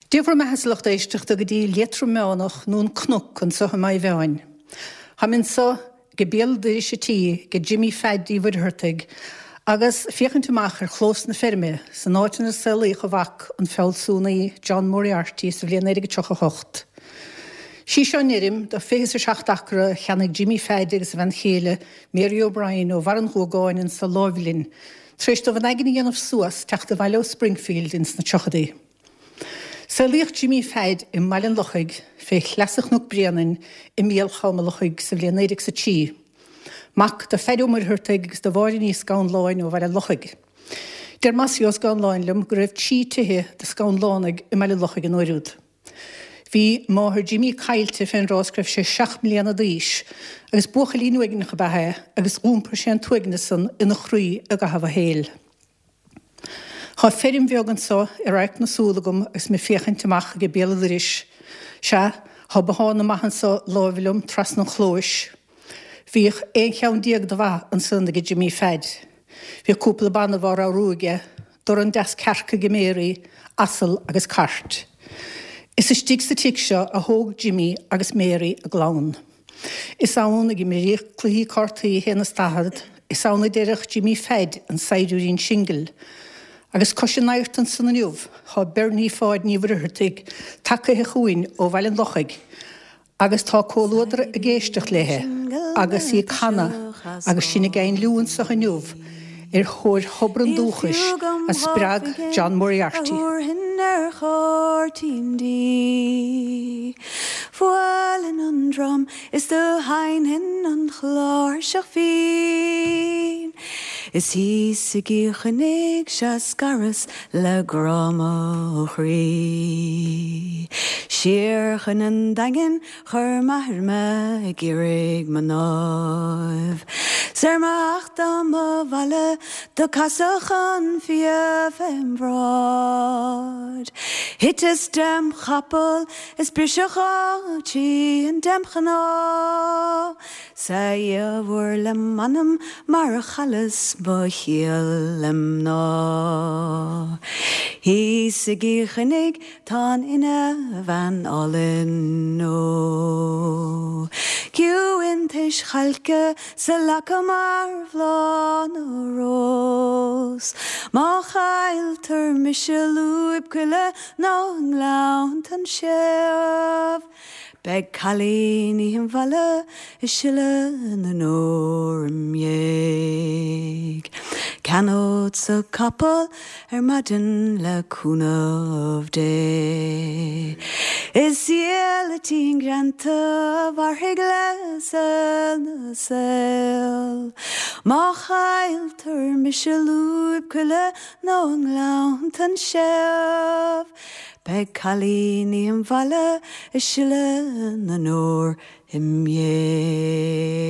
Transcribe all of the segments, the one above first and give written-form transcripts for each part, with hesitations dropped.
Dia bhur mbeatha, a lucht éisteachta, go dtí Liatroim Meánach nó an Cnoc anso i Maigh Mheáin. Táim anso age béal doiris a tí age Jimmy Pheaid Uí Mhuircheartaigh agus féachaint amach ar chlós na feirme san áit inar saolaíodh a mhac, an fealsúnaí John Moriarty sa bhliain 1938. Sí seo an fheirm de 27 acra a cheannaigh Jimmy Pheaid agus a bhean chéile Mary O'Brien ó Bharr an Ghuagáin anso láimh linn tar éis dóibh an aigne a dhéanamh suas teacht abhaile ó Springfield ins na tríochadaí. Saolaíodh Jimmy Pheaid i mBaile an Lochaigh fé shleasa Chnoc Bréanainn i mbéal Cham an Lochaigh sa bhliain 1903. Mac do Pheaid Ó Muircheartaigh agus do Mháire Ní Scanláin ó Bhaile an Lochaigh. Deir Mossie Ó Scanláin liom go raibh 3 tithe de Scanlánaigh i mBaile an Lochaigh an uair úd. Bhí máthair Jimmy caillte fén dtráth is go raibh sé 7 mbliana d'aois agus buachaillín uaigneach ab ea é agus dh'iompair sé an t-uaigneas san ina chroí i gcaitheamh a shaoil. Thá feirm bheag anso i radharc na súl agam agus mé féachaint amach age béal a' doiris. Sea, thá bothán maith anso láimh liom trasna an chlóis. Bhíodh 11 cheann de bha ansan age Jimmy Pheaid. Bhíodh cúpla banbh á ramhrú aige, dorn deas cearc age Mary, asal agus cairt. Is istigh sa tigh seo a thóg Jimmy agus Mary a gclann. Is ann a imríodh cluichí cártaí 41, is ann a deireadh Jimmy Pheaid an saighdiúirín singil. Agus cois an adhairt ansan inniu thá Bernie Pháid Ní Mhuircheartaigh tagaithe chugainn ó Bhaile an Lochaigh agus tá comhluadar ag éisteacht léithe agus í ag canadh agus sinn ag éinliú anso inniu ar thóir thobar an dúchais a spreag John Moriarty. Bhuailfinn an drum is do sheinnfinn an chláirseach bhinn. Is thíos i gCill Chainnigh 'sea scaras le grá mo chroí. Siar chun an Daingin chuir m'athair mé ag iarraidh mo náibh. 'S ar mo theacht dom abhaile do casadh an fia fém bhráid. Thiteas dem chapall Is briseadh an trian dem chnámh 's a Dhia mhóir le m'anam mar chailleas mo chiall le mná. Thíos i gCill Chainnigh tá an fhine bhean álainn ó. Ciúin tais chailce 's a lacha mar bhláth na rós. Má chailltear mise i lúib coille Nó i nGleanntan Séamh. Beidh cailíní an bhaile ag sileadh na ndeor im dhiaidh. Ceannódsa capall ar maidin le cúnamh Dé. Is gileatín greanta a mhairfidh le saol na saol. Má chailltear mise i lúib coille Nó i nGleanntan Séamh. Beidh cailíní an bhaile ag sileadh na ndeor im dhiaidh.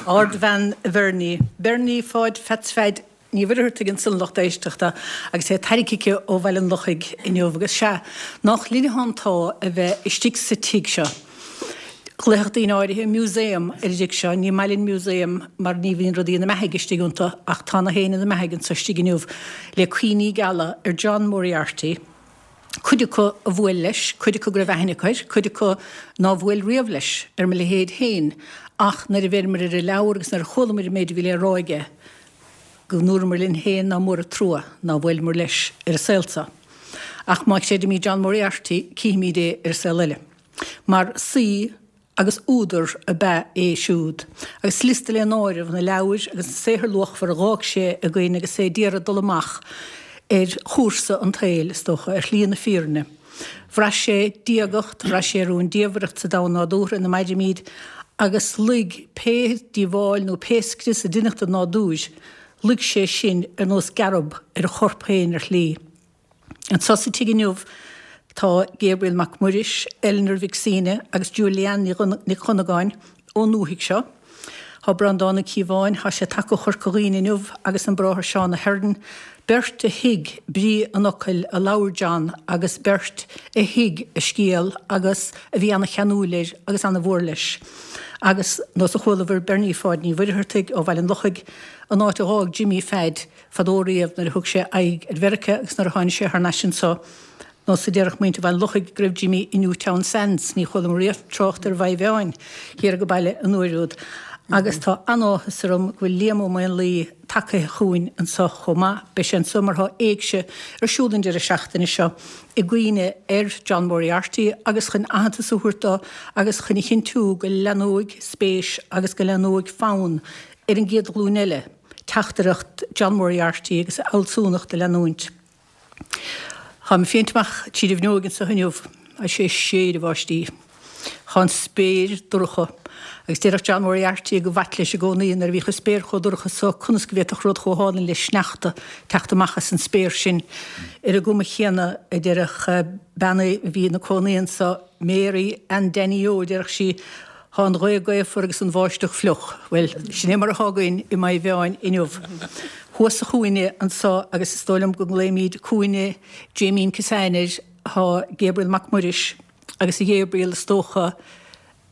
Ardbhean Bhernie, Bernie Pháid Pheats Pheaid Ní Mhuircheartaigh ansan lucht éisteachta agus é tarraingthe aici ó Bhaile an Lochaigh inniu agus sea, nách linne atá an t-ádh a bheith istigh sa tigh seo. Ghlaofadh daoine áirithe museum ar an dtigh seo, ní maith linn museum mar ní bhíonn rudaí ina mbeathaidh istigh iontu ach tá na héin ina mbeathaidh anso istigh inniu le cuimhní geala ar John Moriarty, cuid acu a bhuail leis, cuid acu go raibh aithne acu air, cuid acu ná bhuail riamh leis, ar mo leithéid féin ach nuair a bheireamair ar an leabhar agus nuair a chualamair an méid a bhí le rá aige go ndúramair linn féin ná mór an trua ná bhuaileamair leis ar an saol seo. Ach má chreidimid John Moriarty cífimid é ar an saol eile. Mar saoi agus údar ab ea é siúd, agus liosta le n-áireamh na leabhair agus na saothair luachmhara a dh'fhág sé againn agus é d'iarraidh dul amach ar chúrsa an tsaoil, is dócha, ar shlí na fírinne. Bhraith sé diagacht, bhraith sé rúndiamhaireacht sa domhan nádúrtha ina mairimid, agus luigh pé díobháil nó pé scrios a deineadh don nádúr, luigh sé sin ar nós gearb ar a chorp féin ar shlí. Anseo sa tigh inniu tá Gabriel Mac Muiris, Eleanor Mhic Suibhne agus Julie-Anne Nic Dhonnagáin ón ndúthaigh seo. Tá Breandán Ó Cíobháin, tá sé tagtha ó Chorca Dhuibhne inniu, agus an Bráthair Seán Ahern, beirt a thuig brí an fhocail a labhair John agus beirt a thuig a scéal agus a bhí ana-cheanúil air agus ana-mhór leis. Agus nós a chualabhair Bernie Pháid Ní Mhuircheartaigh ó Bhaile an Lochaigh, an áit a dh'fhág Jimmy Pheaid fadó riamh nuair a thug sé aghaidh ar Mheiriceá agus nuair a tháinig sé thar n-ais anso, nós a déarfadh muintir Bhaile an Lochaigh go raibh Jimmy i Newtownsandes. Ní chualamar riamh trácht ar Mhaigh Mheáin thiar age baile an uair úd. Agus tá an-áthas orm go bhfuil Liam Ó Maonlaí tagaithe chugainn anso chomh maith. Beidh sé anso mar thá éigse ar siúl an deireadh seachtaine seo i gcuimhne ar John Moriarty agus chun aitheantas a thabhairt dó agus chun a chinntiú go leathnóidh spéis agus go leathnóidh fonn ar an gcéad ghlúin eile teachtaireacht John Moriarty agus a fhealsúnacht a leanúint. Táim ag féachaint amach tríd an bhfuinneoig anso inniu agus sé ag séideadh báistí. Tá an spéir dorcha agus déarfadh John Moriarty gur mhaith leis i gcónaí nuair a bhíodh an spéir chomh dorcha so conas go bhféadfadh rud chomh hálainn le sneachta teacht amach as an spéir sin. Ar an gcuma chéanna a déarfadh bean a bhí ina cónaí anso, Mary Ann Danny Ó, déarfadh sí, Thá an ghaoth gaofar agus an bháisteach fliuch. Bhuel, sin é mar athá againn i Maigh Mheáin inniu. Thuas sa chúinne anso, agus is dóigh liom go nglaoimíd cúinne Jaimín Kissane air, thá Gabriel Mac Muiris, agus a Ghabriel, is dócha,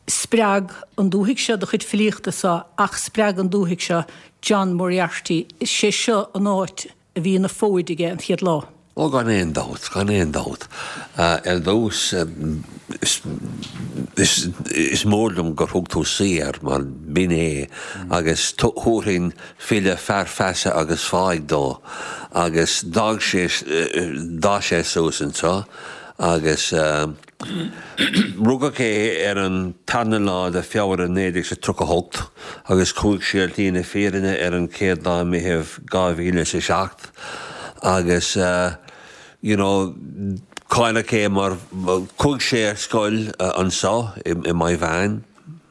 spreag an dúthaigh seo do chuid filíochta-sa ach spreag an dúthaigh seo John Moriarty. Is sé seo an áit a bhí ina fóid aige an chéad lá. Ó gan aon dabht, gan aon dabht. Ar dtús, is mór liom gur thug tú saoi air, mar b'in é, agus thabharfainn file, fear feasa agus fáidh dó. Agus d'fhág sé, d'fhás sé suas anseo agus. Rugadh é ar an tarna lá de Feabhra 1938 agus chuaigh sé ar shlí na fírinne ar an chéad lá Meitheamh 2007 agus you know cáileach é mar chuaigh sé ar scoil anseo i Maigh Mheáin.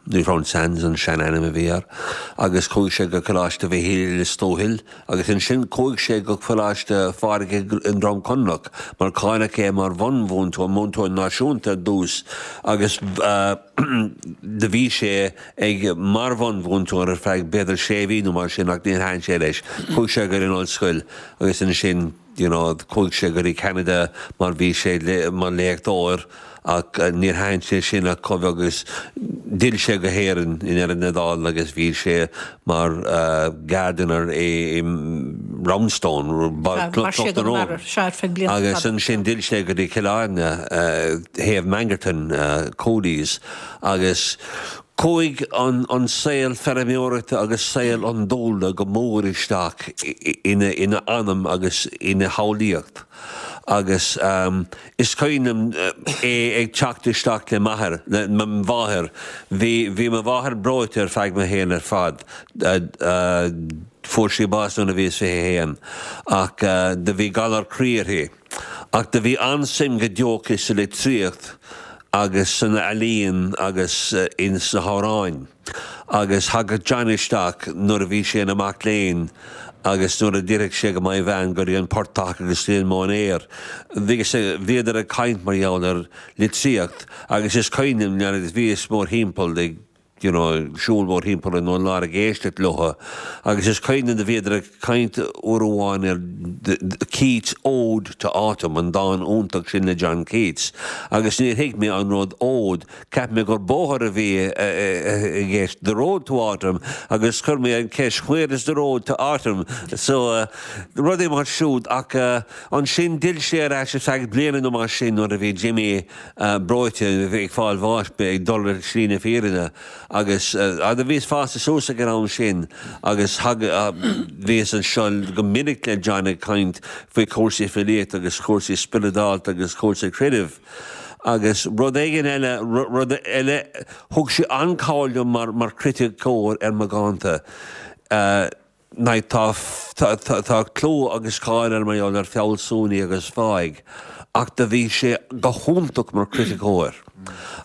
Newtownsandes an sean-ainm a bhí air, agus chuaigh sé go Coláiste Mhichíl i Lios Tuathail agus ansin chuaigh sé go Coláiste Phádraig i nDroim Conrach mar cáineadh é mar bhunmhúinteoir, múinteoir náisiúnta ar dtús agus do bhí sé ag mar bhunmhúinteoir ar feadh b'fhéidir sé mhí nó mar sin ach níor thaitin sé leis. Chuaigh sé go dtí an ollscoil agus ansin you know chuaigh sé go dtí Ceanada mar bhí sé mar léachtóir ach níor thaitin sé sin ach chomh beag agus d'fhill sé go hÉirinn i ndeireadh na dála agus bhí sé mar gardener i Roundstone, Cloch na Rón. Agus ansin d'fhill sé go dtí Cill Airne, thaobh Mangerton, Cooley's agus chuaigh an saol feirmeoireachta agus saol an dúlra go mór isteach ina anam agus ina shamhlaíocht agus Is cuimhin liom é ag teacht isteach le m'athair, le mo mháthair. Bhí, bhí mo mháthair breoite ar feadh mo shaoil ar fad. Fuair sí bás nuair a bhíos 21. Ach do bhí galar croí uirthi. Ach do bhí an-suim go deo aici sa litríocht agus san ealaín agus ins na hamhráin. Agus thagadh John isteach nuair a bhí sé ina mac léinn agus nuair a d'fhillfeadh sé go Maigh Mheáin go dtí an portach agus go dtí an móinéar. Bhíodar ag caint mar gheall ar litríocht agus is cuimhin liom nuair a bhíos mórthimpeall ag you know siúl mórthimpeall an urláir ag éisteacht leo agus is cuimhin liom do bhíodar ag caint uair amháin ar Keats Ode to Autumn, an dán iontach sin le John Keats agus níor thuig mé an rud Ode Cheap mé gur bóthar a bhí i gceist, the road to autumn, agus chuir mé an cheist where is the road to autumn? So, rudaí mar siúd ach ansin d'fhill sé ar ais ar feadh bliana nó mar sin nuair a bhí Jimmy breoite, ag fáil bháis, ag dul ar shlí na fírinne agus do bhíos fásta suas ag an am sin agus bhíos anseo go minic le John ag caint faoi chúrsaí filíochta agus cúrsaí spioradálta agus cúrsaí creidimh. Agus rud éigin eile, rud eile, thug sé an-chabhair liom mar, mar chriticeoir ar mo dhánta. Like tá, tá, tá clú agus cáil air mar gheall ar fealsúnaí agus fáidh, ach do bhí sé go hiontach mar chriticeoir.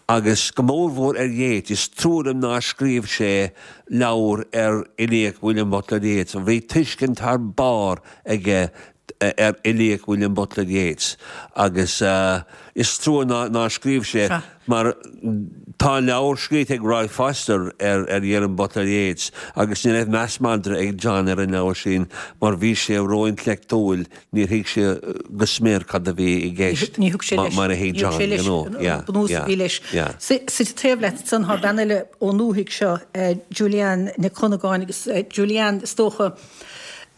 Agus go mórmhór ar Yeats, is trua liom nár scríobh sé leabhar ar fhilíocht William Butler Yeats. Bhí tuiscint thar barr aige. ar fhilíocht William Butler Yeats agus is trua nár scríobh sé mar tá leabhar scríte ag Roy Foster ar William Butler Yeats agus ní raibh meas madra ag John ar an leabhar sin mar bhí sé ró-intleachtúil, níor thuig sé go smior cad a bhí i gceist mar a thuig John, you know, yeah, yeah, yeah. Suite taobh leat ansan tá bean eile ón ndúthaigh seo, Julianne Nic Dhonnagáin agus Julianne is dócha,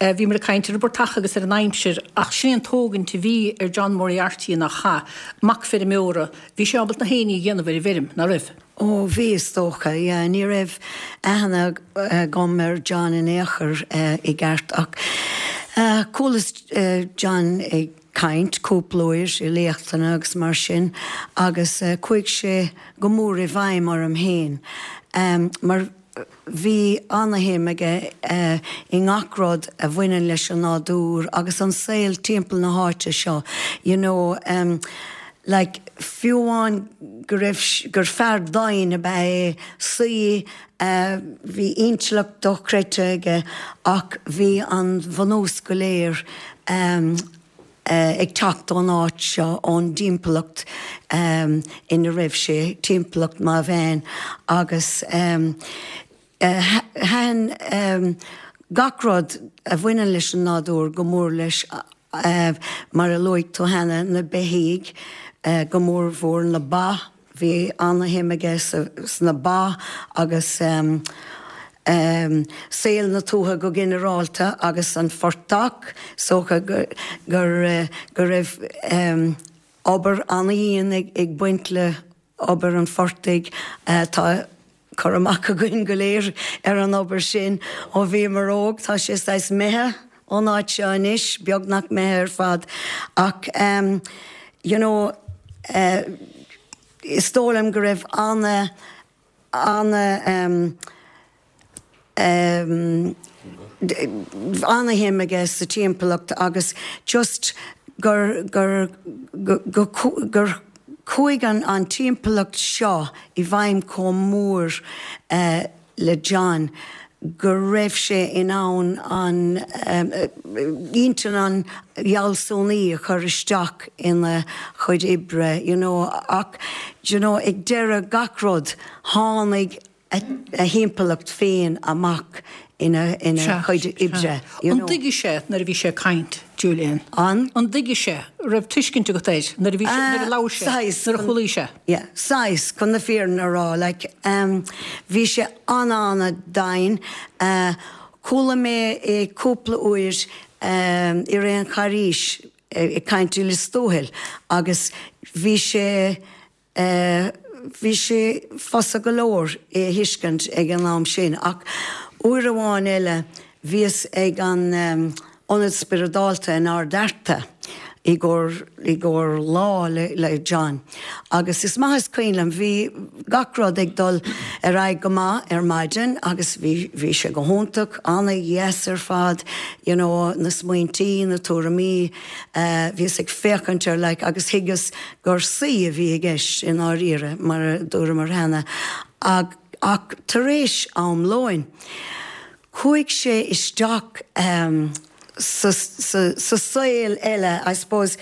Bhíomar ag caint ar an bportach agus ar an aimsir, ach sin é an tógaint a bhí ar John Moriarty nach ea? Mac feirmeora. Bhí sé ábalta na héinní a dhéanamh ar an bhfeirm, ná raibh? Ó, bhí, is dócha, yeah. Ní raibh aithne agam ar John in aon chor i gceart ach chualas John ag caint cúpla uair i léachtanna agus mar sin agus chuaigh sé go mór i bhfeidhm orm féin mar Bhí ana-shuim aige i ngach rud a bhaineann leis an nádúr agus an saol timpeall na háite seo, you know, like fiú amháin go raibh, gur fear domhain ab ea é, saoi, bhí intleacht dochreidte aige ach bhí an bhunús go léir ag teacht ón áit seo, ón dtimpeallacht ina raibh sé, timpeallacht Maigh Mheáin, agus thaitin gach rud a bhaineann leis an nádúr go mór leis, mar a luaigh tú cheana, na beithígh, go mórmhór na ba. Bhí ana-shuim aige sna ba agus saol na tuaithe go ginearálta agus an phortach. Is dócha go raibh obair ana-dhian ag baint le obair an phortaigh. Tá cur amach againn go léir ar an obair sin ó bhíomar óg. Tá sé saghas imithe ón áit seo anois, beagnach imithe ar fad ach you know is dóigh liom go raibh ana, ana ana-shuim aige sa timpeallacht agus just gur, gur, go, gur chuaigh an timpeallacht seo i bhfeidhm chomh mór le John go raibh sé in ann an intinn an fhealsúnaí a chur isteach ina chuid oibre you know ach you know ag deireadh gach rud tháinig a thimpeallacht féin amach ina chuid oibre you know. An dtuigeadh sé nuair a bhí sé ag caint, Julian? An? An dtuigeadh sé, raibh tuiscint agat air nuair a bhí sé, nuair a labhair sé, nuair a chualaís é? Yeah, saghas, chun na fírinne a rá, like, bhí sé an-an-domhain. Chuala mé é cúpla uair i rith an Charghais ag caint i Lios Tuathail agus bhí sé, bhí sé fusa go leor é a thuiscint ag an am sin. Ach uair amháin eile bhíos ag an Ionad Spioradálta in Ard Fhearta i gcomhair, i gcomhair lá le, le John. Agus is maith is cuimhin liom, bhí gach rud ag dul ar aghaidh go maith ar maidin agus bhí, bhí sé go hiontach, ana-dheas ar fad, you know, na smaointí, na tuairimí, bhíos ag féachaint air like agus thuigeas gur saoi a bhí i gceist i ndáiríre, mar a dúramar cheana. Ach, ach tar éis am lóin, Chuaigh sé isteach sa saol eile, I suppose,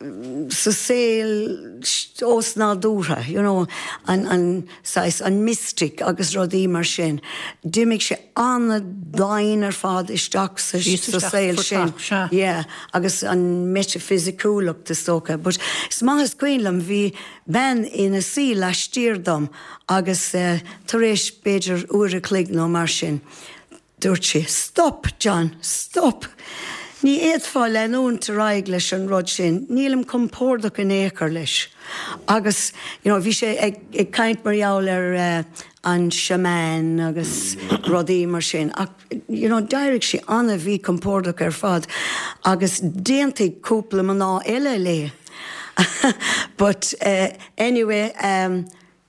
sa saol osnádúrtha, you know, an saghas, an mystic agus rudaí mar sin. D'imigh sé an-domhain ar fad isteach sa saol sin. Yeah, agus an meitifisiciúlacht is dócha. But is maith is cuimhin liom, bhí bean ina suí laistiar dom agus tar éis b'fhéidir uair a chloig nó mar sin, dúirt sí, 'Stop, John, stop! Ní fhéadfá leanúint ar aghaidh leis an rud sin, nílim compordach in aon chor leis. Agus, you know, bhí sé ag caint mar gheall ar an shaman agus rudaí mar sin ach, you know, d'éirigh sí an-mhíchompordach ar fad agus d'aontaigh cúpla mná eile léi. But anyway,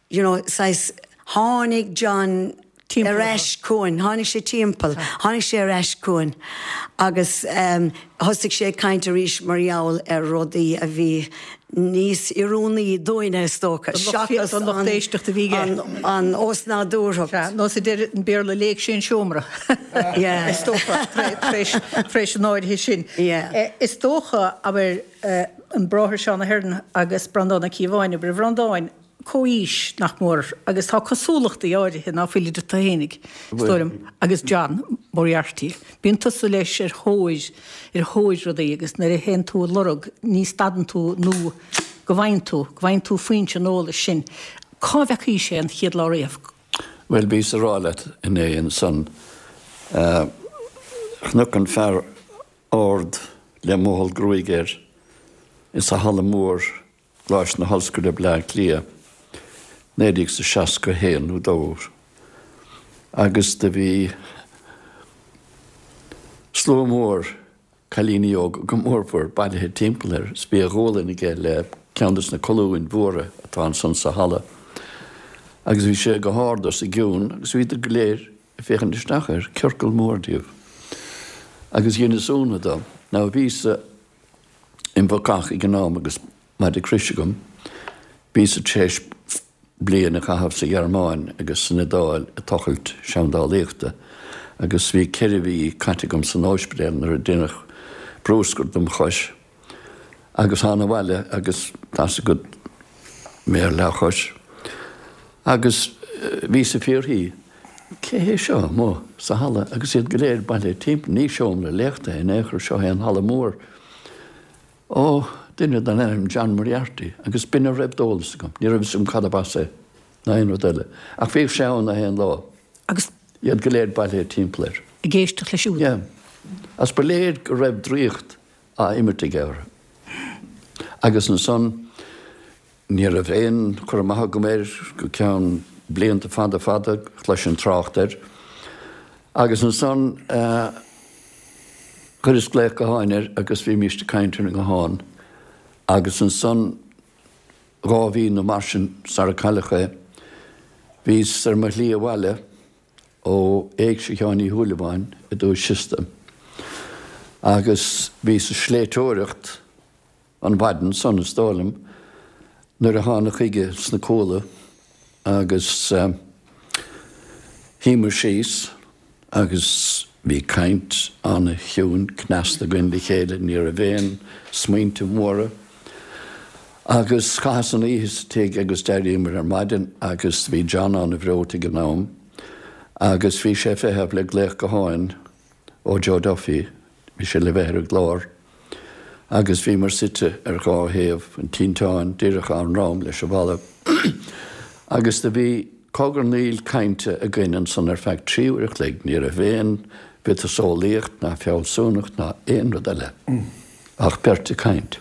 you know, saghas, tháinig John ar ais chugainn, tháinig sé timpeall, tháinig sé ar ais chugainn agus thosaigh sé ag caint arís mar gheall ar rudaí a bhí. níos oiriúnaí dúinne, is dócha, seachas an lucht éisteachta a bhí aige. an osnádúrthacht. Sea, nó a deir an Béarla, léigh sé an seomra, is dócha, tar éis an áirithe sin. Is dócha, abair, an Bráthair Seán Ahern agus Breandán Ó Cíobháin, abair, a Bhreandáin, comhaois, nach mór, agus tá cosúlachtaí áirithe ná fuil idir tú fhéinig, is dóigh liom, agus John Moriarty. Bíonn tusa leis ar thóir, ar thóir rudaí agus nuair a théann tú ag lorg ní stadann tú nó go bhfaigheann tú, go bhfaigheann tú foinse an eolais sin. Cá bhfeacaís é an chéad lá riamh? Bhuel, bhíos a rá leat inné ansan, chonac an fear ard le mothall gruaige air insa halla mór Coláiste na hOllscoile Bleá Cliath, 1961 nó dó, agus do bhí slua mór cailíní óga go mórmhór bailithe timpeall air is bhí a ghualainn aige le ceann des na colúin mhóra atá ansan sa halla agus bhí sé go hard os a gcionn agus bhíodar go léir ag féachaint isteach air, ciorcal mór díobh. Agus dheineas ionadh dó. Now bhíos-sa im bhacach ag an am agus maide croise agam. Bhíos-sa tar éis bliain a chaitheamh sa Ghearmáin agus san Iodáil ag tochailt seandálaíochta agus bhí ceithre mhí caite agam san óispidéal nuair a deineadh brúscar dom chois agus thána abhaile agus tá's agat mé ar leathchois agus bhíos ag fiafraí Cé hé seo amuigh sa halla agus iad go léir bailithe timpeall? Ní seomra léachta é in aon chor, seo é an halla mór. Ó, duine den ainm John Moriarty, agus b'in a raibh d'eolas agam. Ní raibh fhios agam cad ab as é, ná aon rud eile. Ach bhíodh sé ann aon lá. Agus. Iad go léir bailithe timpeall air. Ag éisteacht leis siúd. Yeah. Agus ba léir go raibh draíocht á imirt aige orthu. Agus ansan. Ní raibh aon chur amach agam air go ceann blianta fada fada, chloisinn trácht air. Agus ansan chuireas glaoch gutháin air agus bhímíst ag caint ar an nguthán. Agus ansan, dhá mhí nó mar sin sara cailleadh é, bhíos ar mo shlí abhaile ó Éigse Sheáin Uí Shúilleabháin i Dumhaigh Chiosta agus bhíos ag sléibhteoireacht An mhaidin san, is dóigh liom, nuair a thána chuige sna Cuala agus shuíomar síos agus bhí caint ana-chiúin cneasta againn le chéile, ní raibh aon smaointe móra. Agus chaitheas an oíche sa tigh agus d'éiríomar ar maidin agus bhí John ana-bhreoite ag an am agus bhí sé ag feitheamh le glaoch gutháin ó Joe Duffy, bhí sé le bheith ar an gclár, agus bhíomar suite ar dhá thaobh an tinteáin, díreach ár ndroim leis an bhalla, agus do bhí cogarnaíl cainte againn ansan ar feadh 3 uair a chloig, ní raibh aon mhiotaseolaíocht ná fealsúnacht ná aon rud eile ach beirt ag caint.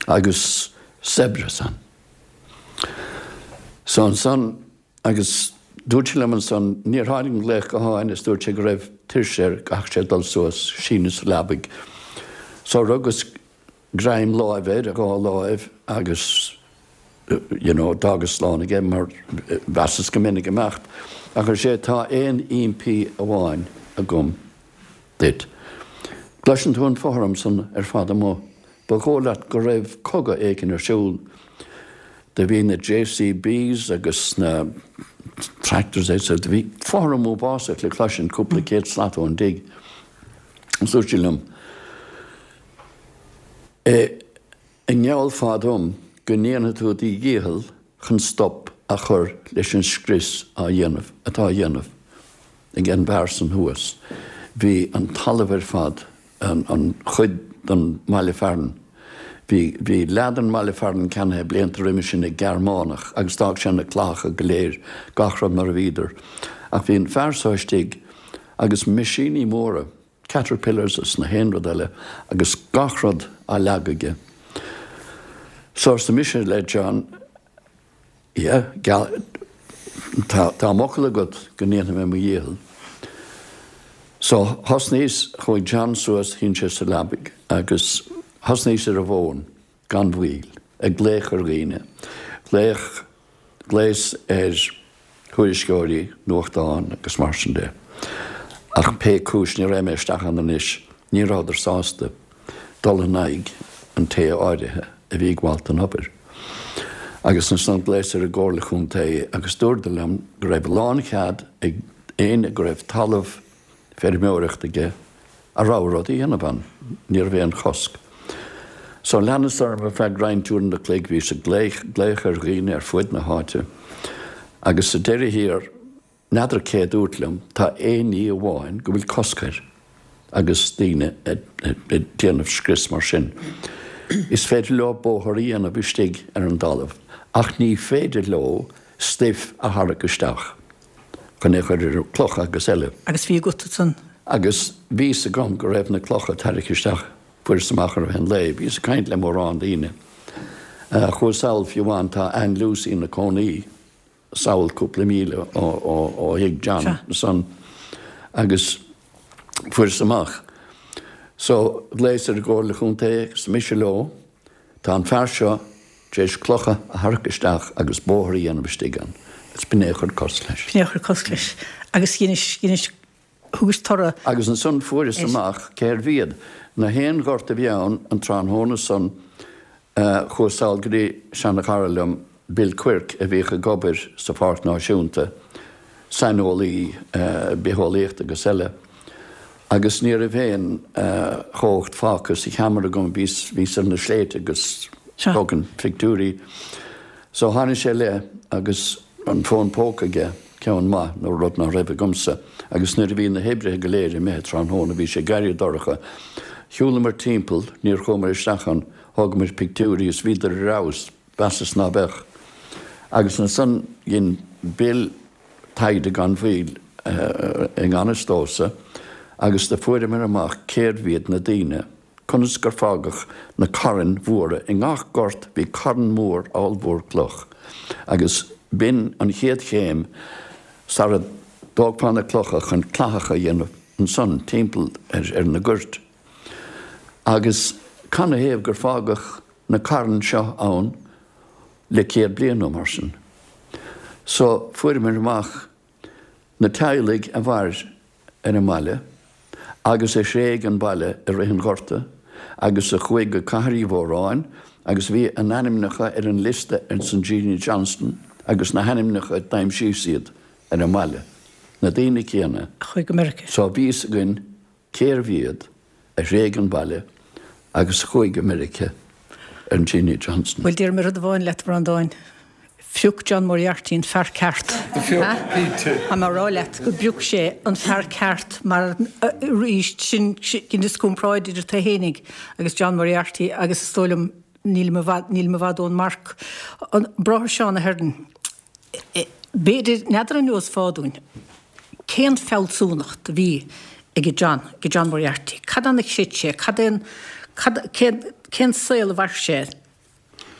Agus saibhreas ann. So ansan Agus dúirt sé liom ansan, níor tháinig an glaoch gutháin is dúirt sé go raibh tuirse air, go gcaithfeadh sé dul suas, síneadh sa leabaidh. So rugas greim láimhe ar a dhá láimh agus you know d'fhágas slán aige mar mheasas go mbeinn ag imeacht. Ach ar sé, tá aon impí amháin agam duit. Cloiseann tú an fothram san ar fad amuigh. Ba dhóigh leat go raibh cogadh éigin ar siúl. Do bhí na JCBs agus na tractors etc. Do bhí fothram uafásach le cloisint cúpla céad slat ón dtigh. Agus dúirt sé liom, An ngeallfá dom go ndéanfaidh tú do dhícheall chun stop a chur leis an scrios á dhéanamh, atá á dhéanamh ag an bhfear san thuas? Bhí an talamh ar fad, an chuid den mbaile fearainn, bhí, bhí leath den mbaile fearainn ceannaithe blianta roimhe sin ag Gearmánach agus d'fhág sé na clathacha go léir, gach rud mar a bhíodar. Ach bhí an fear so istigh agus meaisíní móra, caterpillars is na haon rud eile agus gach rud á leagadh aige. So arsa mise le John, yeah, geall, tá, tá m'fhocal agat go ndéanfaidh mé mo dhícheall. So thosnaíos, chuaigh John suas, shín sé sa leabaidh agus thosnaíos ar an bhfón. gan mhoill, ag glaoch ar dhaoine, glaoch, ghlaos ar thuairisceoirí nuachtán agus mar sin de. Ach pé cúis, ní raghaidh mé isteach ann anois, ní rabhadar sásta dul in aghaidh an té áirithe. a bhí ag gabháilt don obair. Agus ansan ghlaos ar an gComhairle Chontae agus dúradar liom go raibh lánchead ag éinne go raibh talamh feirmeoireachta aige a rogha rud a dhéanamh ann, ní raibh aon chosc. So leanas orm ar feadh roinnt uaireanta an chloig, bhíos ag glaoch ar dhaoine ar fuaid na háite agus sa deireadh thiar, N'fheadar cé a dúirt liom, tá aon ní amháin go bhfuil cosc air agus daoine ag déanamh scrios mar sin. Is féidir leo bóthar a dhéanamh istigh ar an dtalamh ach ní féidir leo stuif a tharrac isteach chun é a chur ar clocha agus eile. Agus bhí agat ansan. Agus bhí fhios agam go raibh na clocha tarraicthe isteach. Fuaireas amach i rith an lae. Bhíos ag caint le mórán daoine. Chuas sall fiú amháin, tá Ann Lucy ina cónaí sall cúpla míle ó thigh John ansan agus fuaireas amach. So, ghlaos ar an gComhairle Chontae agus mise leo, tá an fear seo tar éis clocha a tharrac isteach agus bóthar a dhéanamh istigh ann agus b'in é a chuir cosc leis. B'in é a chuir cosc leis. Agus dheinis, dheinis, thugais toradh. Agus ansan fuaireas amach cérbh iad. Na haon ghort a bhí ann an tráthnóna san chuas sall go dtí seana-chara liom, Bill Quirke, a bhíodh ag obair sa Pháirc Náisiúnta, saineolaí bitheolaíochta agus eile, agus ní raibh aon chumhacht fágtha sa cheamara agam, bhíos, bhíos ar na sléibhte agus tógaint pictiúirí. So tháinig sé i leith agus an fón póca aige, ceann maith, nó rud ná raibh agamsa, agus nuair a bhí na hoibrithe go léir imithe tráthnóna, bhí sé ag éirí dorcha, shiúlamar timpeall, níor chuamar isteach ann, thógamar pictiúirí is bhíodar ar fheabhas, mheasas ná beadh. Agus ansan dhein Bill taighde gan mhoill i ngan fhios domhsa agus do fuaireamar amach cérbh iad na daoine, conas gur fágadh na cairn mhóra i ngach gort bhí carn mór ollmhór cloch agus b'in an chéad chéim sara dtógfá na clocha chun clathacha a dhéanamh ansan timpeall ar na goirt. Agus canathaobh gur fágadh na cairn seo ann le 100 bliain nó mar sin. So fuaireamar amach na teaghlaigh a mhair ar an mbaile agus a thréig an baile i rith an Ghorta agus a chuaigh go Cathair Uí Mhóráin agus bhí a n-ainmneacha ar an liosta ins an Jeanie Johnston agus na hainmneacha d'aimsíos iad ar an mbaile, na daoine céanna. A chuaigh go Meiriceá. So bhí fhios againn cérbh iad a thréig an baile agus a chuaigh go Meiriceá ar an Jeanie Johnston. Bhuel, déarfaidh mé rud amháin leat, a Bhreandáin, phioc John Moriarty an fear ceart. Do phioc, cinnte. Tá mé a rá leat go bpioc sé an fear ceart mar arís, sin dheineas comparáid idir tú fhéinig agus John Moriarty agus is dóigh liom nílim i bhfad, nílim i bhfad ón marc. An Bráthair Seán Ahern, B'fhéidir, n'fheadar an neosfá dúinn, cén fealsúnacht a bhí ag John, ag John Moriarty? Cad ann a chreid sé? Cad é an, cad, cén, cén saol a mhair sé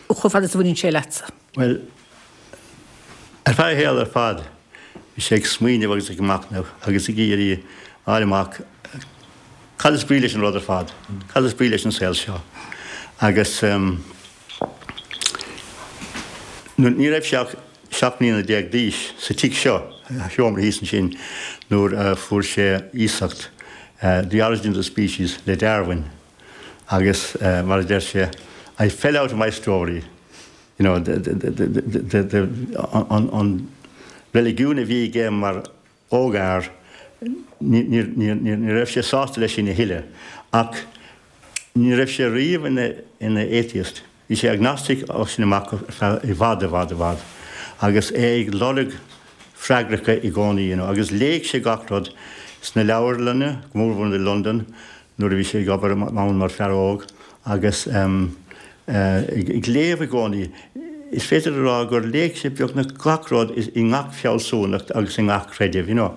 chomh fada is a bhaineann sé leatsa? Bhuel, ar feadh a shaoil ar fad, bhí sé ag smaoineamh agus ag machnamh agus ag iarraidh a fháil amach cad is brí leis an rud ar fad, cad is brí leis an saol seo. Agus. Ní raibh sé ach 17 mbliana d'aois sa tigh seo, a sheomra thíos ansin, nuair a fuair sé iasacht The Origin of the Species le Darwin agus mar a deir sé, I fell out of my story, you know, the, the, the, the, an, an reiligiún a bhí aige mar ógfhear, ní raibh sé sásta leis sin a thuilleadh. Ach ní raibh sé riamh ina atheist. Bhí sé agnostic as sin amach ar feadh i bhfad, i bhfad, i bhfad. Agus é ag lorg freagracha i gcónaí, you know. Agus léigh sé gach rud sna leabharlanna, go mórmhór i Londain, nuair a bhí sé ag obair ann mar fear óg agus ag léamh i gcónaí. Is féidir a rá gur léigh sé beagnach gach rud i ngach fealsúnacht agus i ngach creideamh, you know.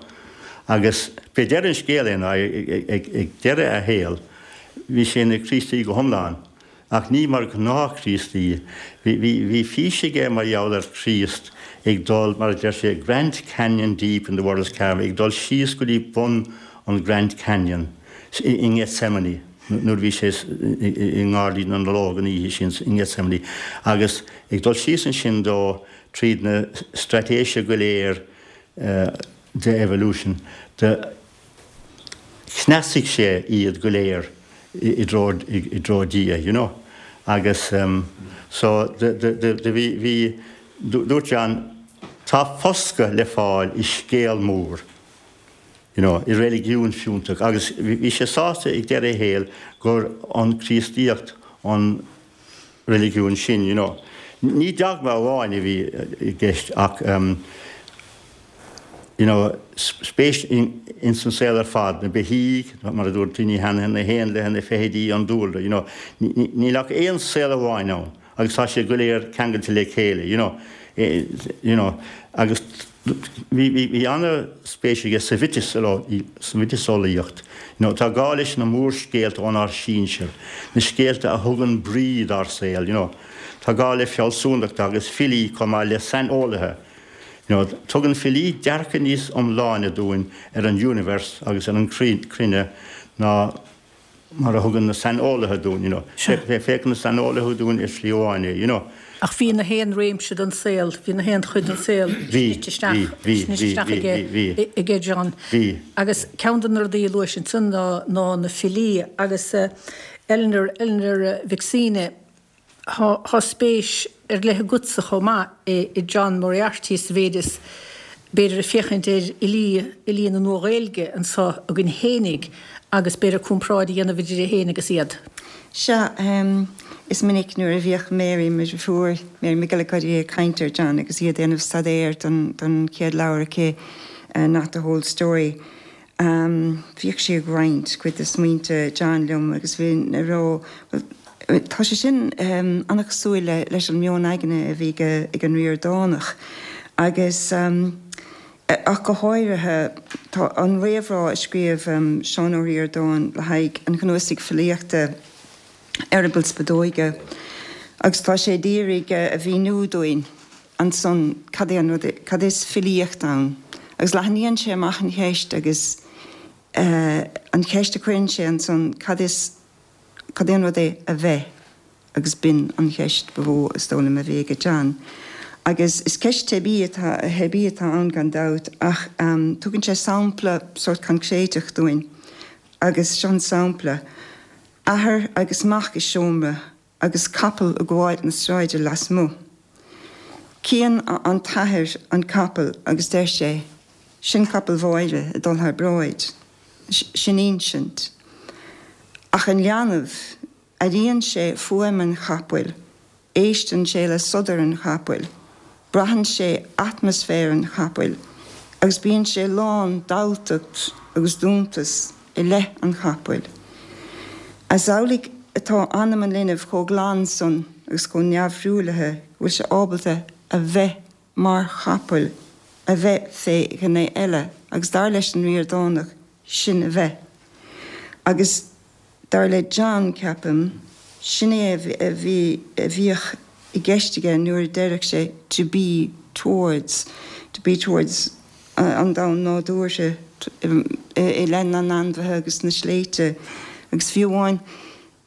Agus b'é deireadh an scéil é ná ag deireadh a shaoil bhí sé ina Chríostaí go hiomlán. Ach ní mar ghnáth-Chríostaí. Bhí fís aige mar gheall ar Chríost ag dul, mar a deir sé, Grand Canyon deep in the world's cavern, ag dul síos go dtí bun an Grand Canyon i nGethsemane, nuair a bhí sé i nGairdín na nOlóg an oíche sin i nGethsemane, agus ag dul síos ansin dó tríd na straitéise go léir de evolution, de. Chneasaigh sé iad go léir i dtreo, i dtreo Dia, you know. Agus so do do bhí bhí dúirt John tá foscadh le fáil i scéal mór you know i reiligiún fiúntach agus bhí sé sásta ag deireadh a shaoil gur an Chríostaíocht an reiligiún sin you know. Ní dogma amháin a bhí i gceist ach you know spéis ins an saol ar fad, na beithígh, mar a dúirt daoine cheana, na héanlaithe, na feithidí, an dúlra, you know. Níl ach aon saol amháin ann agus tá siad go léir ceangailte le chéile, you know, you know. Agus bhí, bhí, bhí an-spéis aige sa sa mhiotaseolaíocht. You know, tá gá leis na mórscéalta ónár sinsir, na scéalta a thugann brí dár saol, you know. Tá gá le fealsúnacht agus filí chomh maith le saineolaithe. You know, tugann filí dearcadh níos iomláine dúinn ar an universe agus ar an chruinne ná mar a thugann na saineolaithe dúinn, you know. Féachann na saineolaithe dúinn ar shlí amháin é, you know. Ach bhí na haon réimse den saol, bhí na haon chuid den saol snite isteach, snite isteach aige, aige John. Bhí. Agus ceann de na rudaí a luais ansan ná, ná na filí agus Eleanor, Eleanor Mhic Suibhne, Tá spéis ar leith agatsa chomh maith i John Moriarty sa mhéid is, b'fhéidir, ag féachaint ar fhilí, fhilí na Nua-Ghaeilge anseo againn fhéinig agus b'fhéidir comparáid a dhéanamh idir é féin agus iad. Sea, is minic nuair a bhíodh Mary, mo dheirfiúr, Mary McGillicuddy ag caint ar John agus í ag déanamh staidéir don chéad leabhar aici, Not the Whole Story, Bhíodh sí ag roinnt cuid de smaointe John liom agus bhínn ag rá, bhuel, tá sé sin an-chosúil leis an meon aigne a bhí ag an Ríordánach agus ach go háirithe, tá an réamhrá a scríobh Seán Ó Ríordáin le haghaidh an chnuasaigh filíochta Eireaball Spideoige agus tá sé d'iarraidh a mhíniú dúinn ansan cad é an rud, cad is filíocht ann? Agus leathnaíonn sé amach an cheist agus an cheist a chuireann sé ansan, cad is, cad é an rud é a bheith? Agus b'in an cheist ba mhó, is dóigh liom, a bhí aige John. Agus is ceist teibí atá, theibí atá ann gan dabht ach tugann sé sampla sórt coincréideach dúinn agus seo an sampla, athair agus mac i seomra agus capall ag gabháil na sráide lasmuigh. Cíonn an t-athair an capall agus deir sé, Sin capall Mháire ag dul thar bráid. Sin insint. Ach an leanbh, airíonn sé fuaim an chapaill, éisteann sé le sodar an chapaill, braitheann sé atmaisféar an chapaill agus bíonn sé lán d'alltacht agus d'iontas i leith an chapaill. Is amhlaidh atá anam an linbh chomh glan san agus chomh neamhthruaillithe go bhfuil sé ábalta a bheith mar chapall, a bheith fé ghné eile, agus dar leis an Ríordánach, sin a bheith. Agus dar le John, ceapaim, sin é a bhí, a bhíodh i gceist aige nuair a deireadh sé to be towards, to be towards an domhan nádúrtha i leith na n-ainmhithe agus na sléibhte. Agus fiú amháin,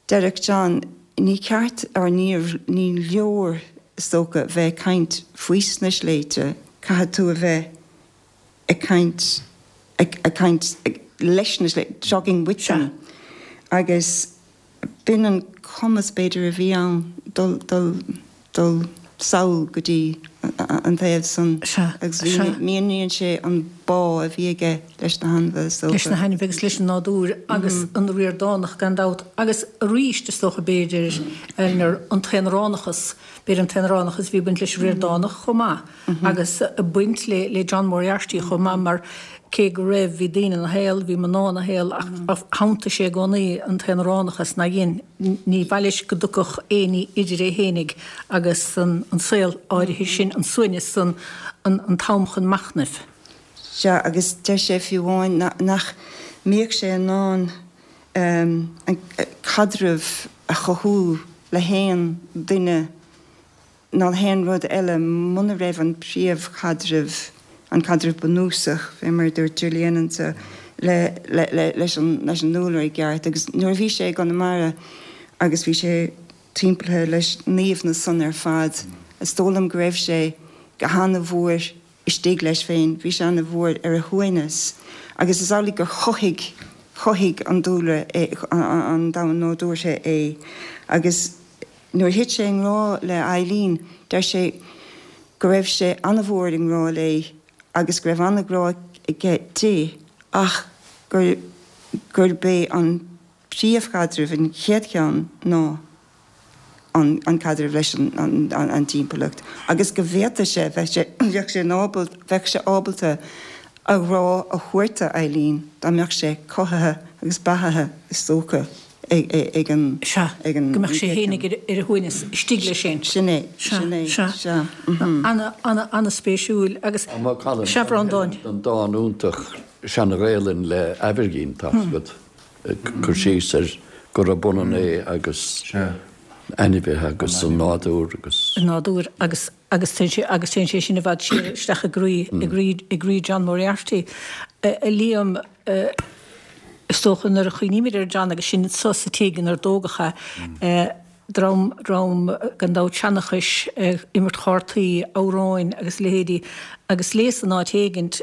deireadh John, ní ceart, or níor, ní leor, is dócha, bheith ag caint faoi sna sléibhte, caithfidh tú a bheith ag caint, ag caint leis na sléibhte, talking with them. Agus b'in an cumas, b'fhéidir, a bhí ann dul, dul, dul sall go dtí an taobh san agus míníonn sé an bá a bhí aige leis na hainmhithe, is dócha. Leis na hainmhithe agus leis an nádúr agus an Ríordánach gan dabht agus arís is dócha b'fhéidir, Eleanor, an t-aonaránachas, b'fhéidir an t-aonaránachas a bhí ag baint leis an Ríordánach chomh maith. agus ag baint le John Moriarty chomh maith mar cé go raibh, bhí daoine ina shaol, bhí mná ina shaol ach shantaigh sé i gcónaí an t-aonaránachas ná dhein, ní mhaith leis go dtiocfadh éinní idir é fhéinig agus an saol áirithe sin, an suaimhneas san, an t-am chun machnaimh. Sea, agus deir sé fiú amháin nach mbíodh sé in ann an caidreamh a chothú le haon duine ná le haon rud eile muna raibh an príomhchaidreamh, an caidreamh bunúsach, fé mar a dúirt Gillian anso, le, le, le, leis an, leis an ndúlra i gceart. Agus nuair a bhí sé i gConamara agus bhí sé timpeallaithe leis na haoibhneas san ar fad, is dóigh liom go raibh sé go hana-mhór istigh leis féin, bhí sé ana-mhór ar a shuaimhneas agus is amhlaidh gur chothaigh, chothaigh an dúlra é, an domhan nádúrtha é. Agus. Nuair a thit sé i ngrá le Eileen, deir sé go raibh sé an-mhór i ngrá léi agus go raibh an-ghrá aige di ach gur gurb é an príomhchaidreamh, an chéad cheann, ná an caidreamh leis an dtimpeallacht agus go bhféadfadh sé, bheadh sé, bheadh sé ábalta, bheadh sé ábalta a ghrá a thabhairt do Eileen dá mbeadh sé cothaithe agus beathaithe is dócha ag an, Sea, ag an, go mbeadh sé fhéinig ar a shuaimhneas istigh leis féin. Sin é, sin é, Sea, sea. Ana, ana, ana-spéisiúil agus, Tá Colin, sea, Bhreandáin. an dán iontach Seana-Ghaelainn le Aimhirgín, tá 's agat. cur síos ar gurab ionann é agus ainmhithe agus an nádúr agus. an nádúr agus agus téann sé agus téann sé sin i bhfad siar isteach i gcroí i gcroí i gcroí John Moriarty. A Liam, is dócha nuair a chuimhnímid ar John agus sinn anso sa tigh inar dtógadh é, dream, dream gan dabht seanchais, imirt chártaí, amhráin agus a leithéidí agus léas in áit éigint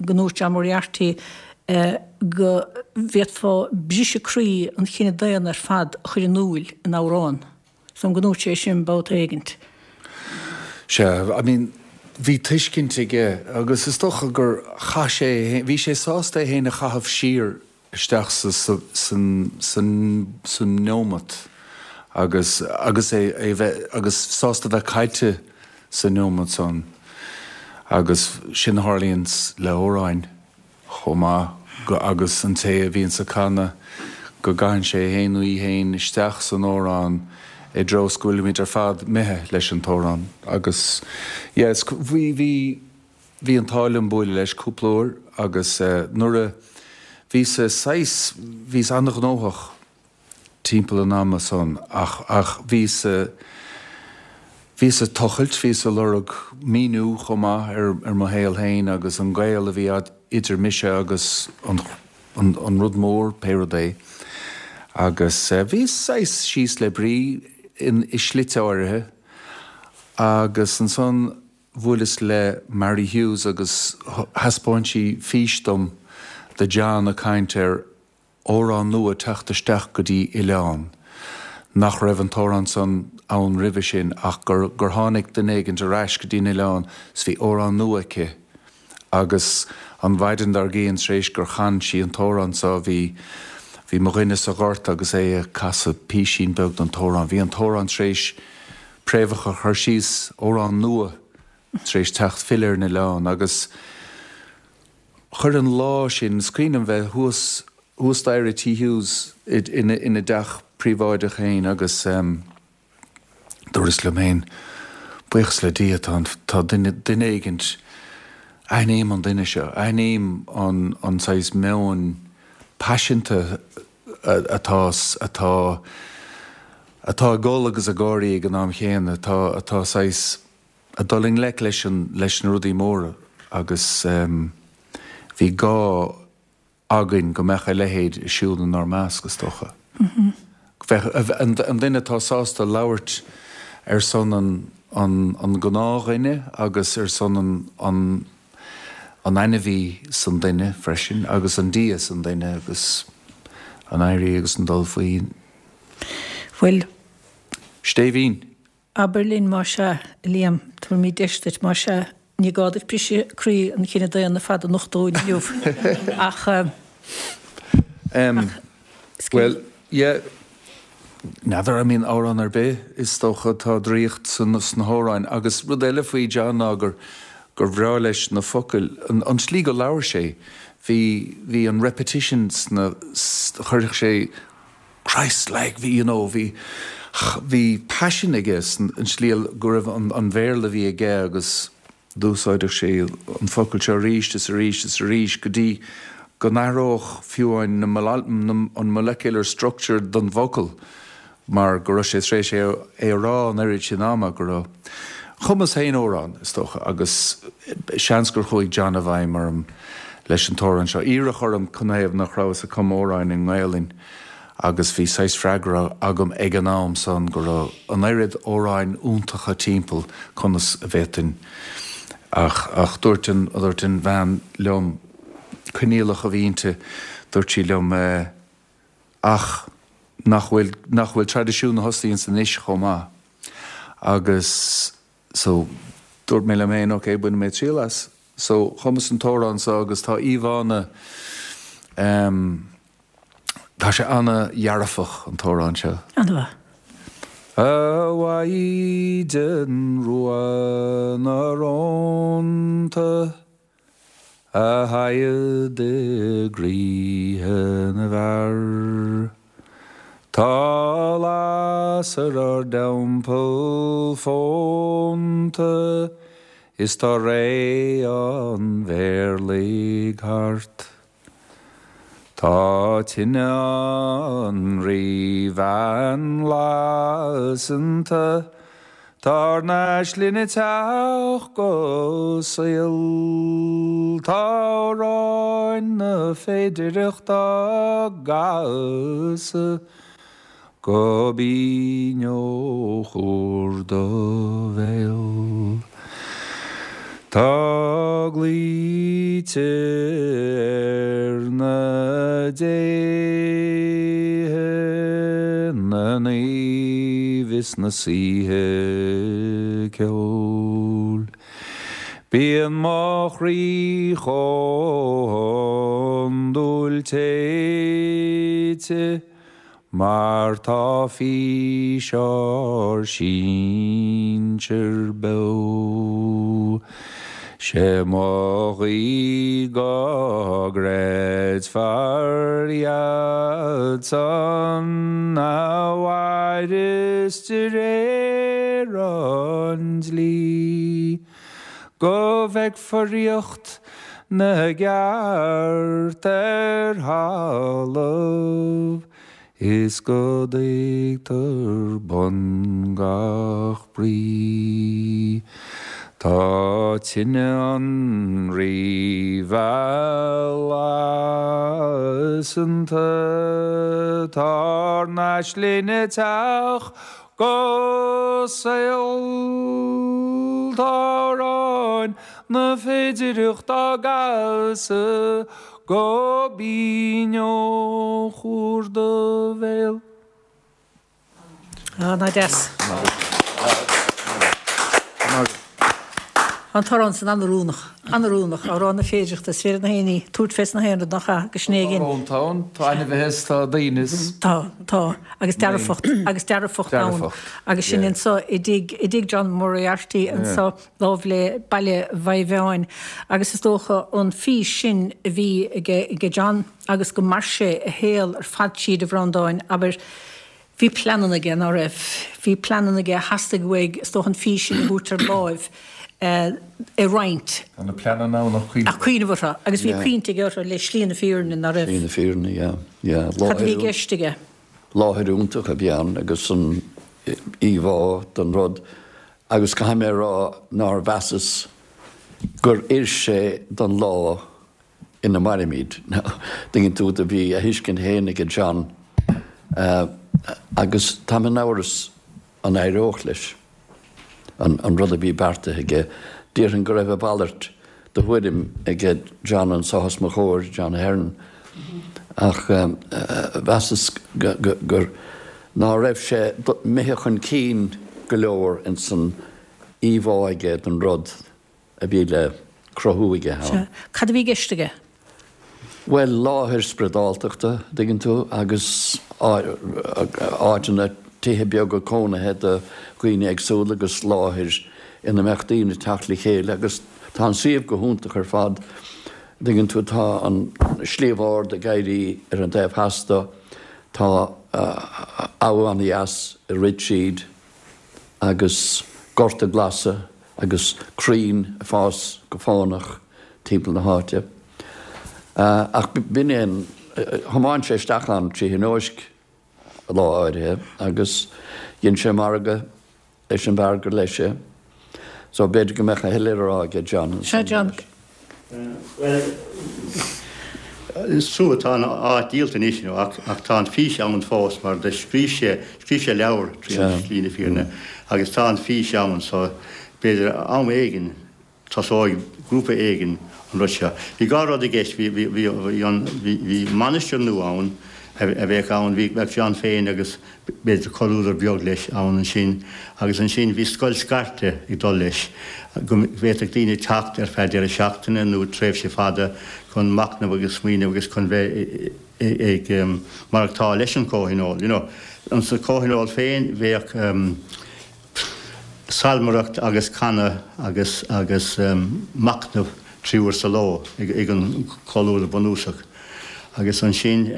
go ndúirt John Moriarty go bhféadfá briseadh croí an chine daonna ar fad a chur in iúil in amhrán. Is dóigh liom go ndúirt sé sin babhta éigint. Sea, I mean, bhí tuiscint aige agus is dócha gur chaith sé é féin, bhí sé sásta é féin a chaitheamh siar isteach sa sa neomat agus agus é é bheith agus sásta bheith caillte sa neomat san agus sin a tharlaíonns le hamhráin chomh maith go agus an té a bhíonns ag canadh go gcaitheann sé é féin nó í féin isteach san amhrán i dtreo is go bhfuilimid ar fad imithe leis an t-amhrán agus yeah is bhí bhí Bhí an t-ádh liom buaileadh leis cúpla uair agus nuair a bhíos saghas, bhíos an-ghnóthach timpeall an ama san ach, ach bhíos, bhíos ag tochailt, bhíos ag lorg míniú chomh maith ar, ar mo shaol féin agus an gaol a bhí idir mise agus an, an, an rud mór, pé rud é. Agus bhíos saghas síos le brí in, i slite áirithe agus ansan, Bhuaileas le Mary Hughes agus thaispeáin sí fís dom de John ag caint ar amhrán nua teacht isteach go dtí oileán, nach raibh an t-amhrán san ann roimhe sin ach gur gur tháinig duine éigint ar ais go dtí an oileán 's bhí amhrán nua aici agus an mhaidin dár gcionn tar éis gur chan sí an t-amhrán so bhí bhí mo dhuine sa ghort agus é ag casadh písín beag den t-amhrán. Bhí an t-amhrán tar éis préamhacha a chur síos, amhrán nua tar éis teacht filleadh ar an oileán agus chuir an lá sin, is cuimhin liom bheith thuas, thuas staighre i Tí Hughes ina, ina dteach príobháideach féin agus dúras liom féin, buíochas le Dia tá an, tá duine, duine éigint, aithním an duine seo, aithním an, an saghas meoin paiseanta atá, atá, atá ag gol agus ag gáirí ag an am chéanna, atá, atá saghas, ag dul i ngleic leis an, leis na rudaí móra agus bhí gá againn go mbeadh a leithéid ag siúl inár measc, is dócha. Bheadh, an, an duine atá sásta labhairt ar son an, an, an gnáthdhuine agus ar son an, an, an ainmhí san duine freisin agus an Dia san duine agus an éirí agus an dul faoi. Bhuel. Stéibhín. Abair linn más ea, a Liam, tabharfaimid deis duit, más ea, ní gá duit briseadh croí an chine daonna ar fad a nochtadh dúinn inniu ach, ach. Bhuel, yeah, n'fheadar, I mean, amhrán ar bith, is dócha, tá draíocht sna hamhráin. Agus rud eile faoi John ná gur, gur bhreá leis na focail, an, an tslí go labhair sé, bhí, bhí an repetition sna, chuirfeadh sé Christ like, bhí, you know, bhí, bhí paisean aige san, an tslí go raibh an, an Bhéarla a bhí aige agus, D'úsáideadh sé an focal seo arís is arís is arís go dtí go n-athródh fiú amháin an molecular structure den bhfocal mar go raibh sé tar éis é a rá an oiread sin ama go raibh. Chumas féin amhrán, is dócha, agus seans gur chuaigh John i bhfeidhm orm leis an t-amhrán seo. Iarradh orm canathaobh nach rabhas ag cumadh amhráin i nGaelainn. agus bhí saghas freagra agam ag an am san go raibh an oiread amhráin iontacha timpeall, conas a bhféadfainn ach, ach dúirt an, dúirt an bhean liom, coinníollach a bhí inti, dúirt sí liom eh, ach. Nach bhfuil, nach bhfuil traidisiún na hosnaí ansan anois chomh maith. Agus so, dúirt mé liom féin, ok, bainfidh mé triail as. So, chumas an t-amhrán so agus tá íomhánna, em, tá sé ana-dhearfach, an t-amhrán seo. An-mhaith. A Mhaighdean Rua na Rónta. A shaighead i gcroíthe na bhfear. Tá lasair ár dteampall fónta is tá ré an mhéirligh thart. Tá tine an Ríbhean lasanta, Tá ár n-aisling ag teacht go saol. Tá amhráin na féidireachta á gcasadh go binn ó chuar do bhéil. Tá glaoite ar na déithe, na naoimh is na saoithe ceoil. Bíonn mo chroí chomh hiondúil téite. Mar tá fís ár sinsear beo. 'Sé mo ghuí go gcreidfear iad san a mhaireas de réir an dlí, go bhfeicfear ríocht na gceart ar thalamh is go dtuigtear bun gach brí. Tá tine an Rí lasanta, tá ár n-aisling ag teacht go saol. Tá amhráin na féidireachta á gcasadh go binn ó chuar do bhéil. Ana deas. An t-amhrán san an-oiriúnach. An-oiriúnach. Amhrán na féidireachta. Is féidir na héinní tabhairt fés na haon rud nach ea? Agus sin é again. Tá rónta ann, tá ainmhithe is tá daoine is. Tá, tá. Agus dearfacht, agus dearfacht ann. Dearfacht, Agus sin yeah. anso i dtigh, i dtigh John Moriarty anso láimh le baile Mhaigh Mheáin. Agus is dócha an fís sin a bhí aige, aige John agus go mair sé a shaol ar fad tríd a Bhreandáin, abair, Bhí pleananna aige, ná raibh? Bhí pleananna aige, theastaigh uaidh, is dócha, an fís sin a thabhairt ar láimh, a roinnt. Tá na pleananna ann ach cuimhneamh orthu. Ach cuimhneamh orthu. Agus bhí cuimhne aige orthu le slí na fírinne, ná raibh? Slí na fírinne, yeah, yeah. Cad a bhí i gceist aige? Láthair iontach a bhí ann agus an íomhá den rud agus caithfidh mé a rá nár mheasas gur oir sé don lá ina mairimid. Tuigeann tú, do bhí a thuiscint féin aige John agus táim in amhras an éireodh leis an rud a bhí beartaithe aige. Déarfainn go raibh a mhalairt de thuairim aige John anso os mo chomhair, John Ahern, ach mheasas gur ná raibh sé imithe chun cinn go leor ins an íomhá aige den rud. a bhí le cruthú aige ann. Sea. Cad a bhí i gceist aige? Bhuel, láthair spioradáltachta, an dtuigeann tú, agus áiteanna, tithe beaga cónaithe do dhaoine éagsúla agus láthair ina mbeadh daoine ag teacht le chéile agus tá an suíomh go hiontach ar fad, an dtuigeann tú, tá an Sliabh Ard ag éirí ar an taobh theas de, tá abha an-dheas ag rith tríd agus gorta glasa agus crainn ag fás go fánach timpeall na háite. Ach b'in é an, thiomáin sé isteach ann trí thionóisc lá áirithe agus dhein sé margadh leis an bhfear gur leis é. So b'fhéidir go mbeadh a thuilleadh le rá aige John. Sea, John. Bhuel, is trua, tá an áit díolta anois you know, ach, ach tá an fís ann fós mar do scríobh sé, scríobh sé leabhar trí Shlí na Fírinne agus tá an fís ann so b'fhéidir am éigin tosóidh grúpa éigin an rud seo. Bhí dhá rud i gceist, bhí, bhí, bhí, bhí an, bhí, bhí mainistir nua ann. a bheadh ann. Bhí, bheadh John féin agus b'fhéidir comhluadar beag leis ann ansin agus ansin bhí scoil scairte ag dul leis go bhféadfadh daoine teacht ar feadh deireadh seachtaine nó tréimhse fada chun machnamh agus smaoineamh agus chun bheith ag maireachtáil leis an chomhthionól, you know. Insa chomhthionól féin bheadh salmaireacht agus canadh agus agus machnamh 3 uair sa ló ag an chomhluadar bunúsach. Agus ansin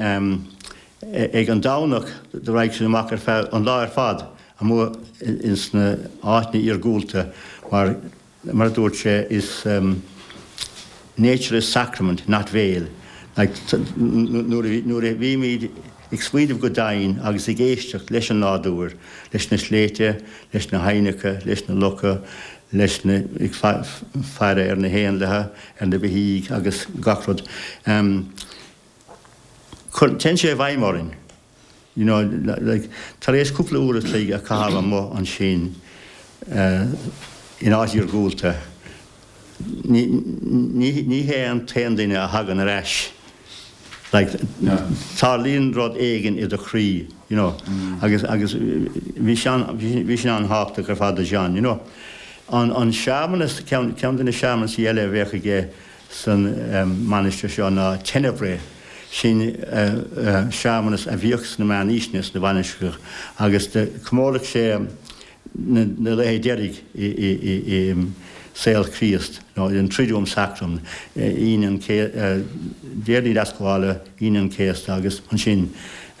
ag an Domhnach do raghadh siad amach ar feadh an lá ar fad amuigh ins na áiteanna iargúlta mar Mar a dúirt sé, is nature is sacrament, not veil. Like, nuair a bhímid ag smaoineamh go domhain agus ag éisteacht leis an nádúr, leis na sléibhte, leis na haibhneacha, leis na locha, leis na, ag faire ar na héanlaithe, ar na beithígh agus gach rud, téann sé i bhfeidhm orainn. You know, like, tar éis cúpla uair a chloig a chaitheamh amuigh ansin in áit iargúlta, ní, ní, ní hé an t-aon duine a thagann ar ais. Like, tarlaíonn rud éigin i do chroí, you know, agus, agus bhí sin, bhí sin an-thábhachtach ar fad do John, you know. An, an searmanas, ceann, ceann de na searmanasaí eile a bheadh aige, san mainistir seo ná Tenebrae, sin searmanas a bhíodh sna meánaoiseanna sna mhainistreacha agus do chomóradh sé na laethe deiridh i saol Chríost, nó an Triduum Sacrum, Aoine an Déardaoin Deascabhála, Aoine an Chéasta agus ansin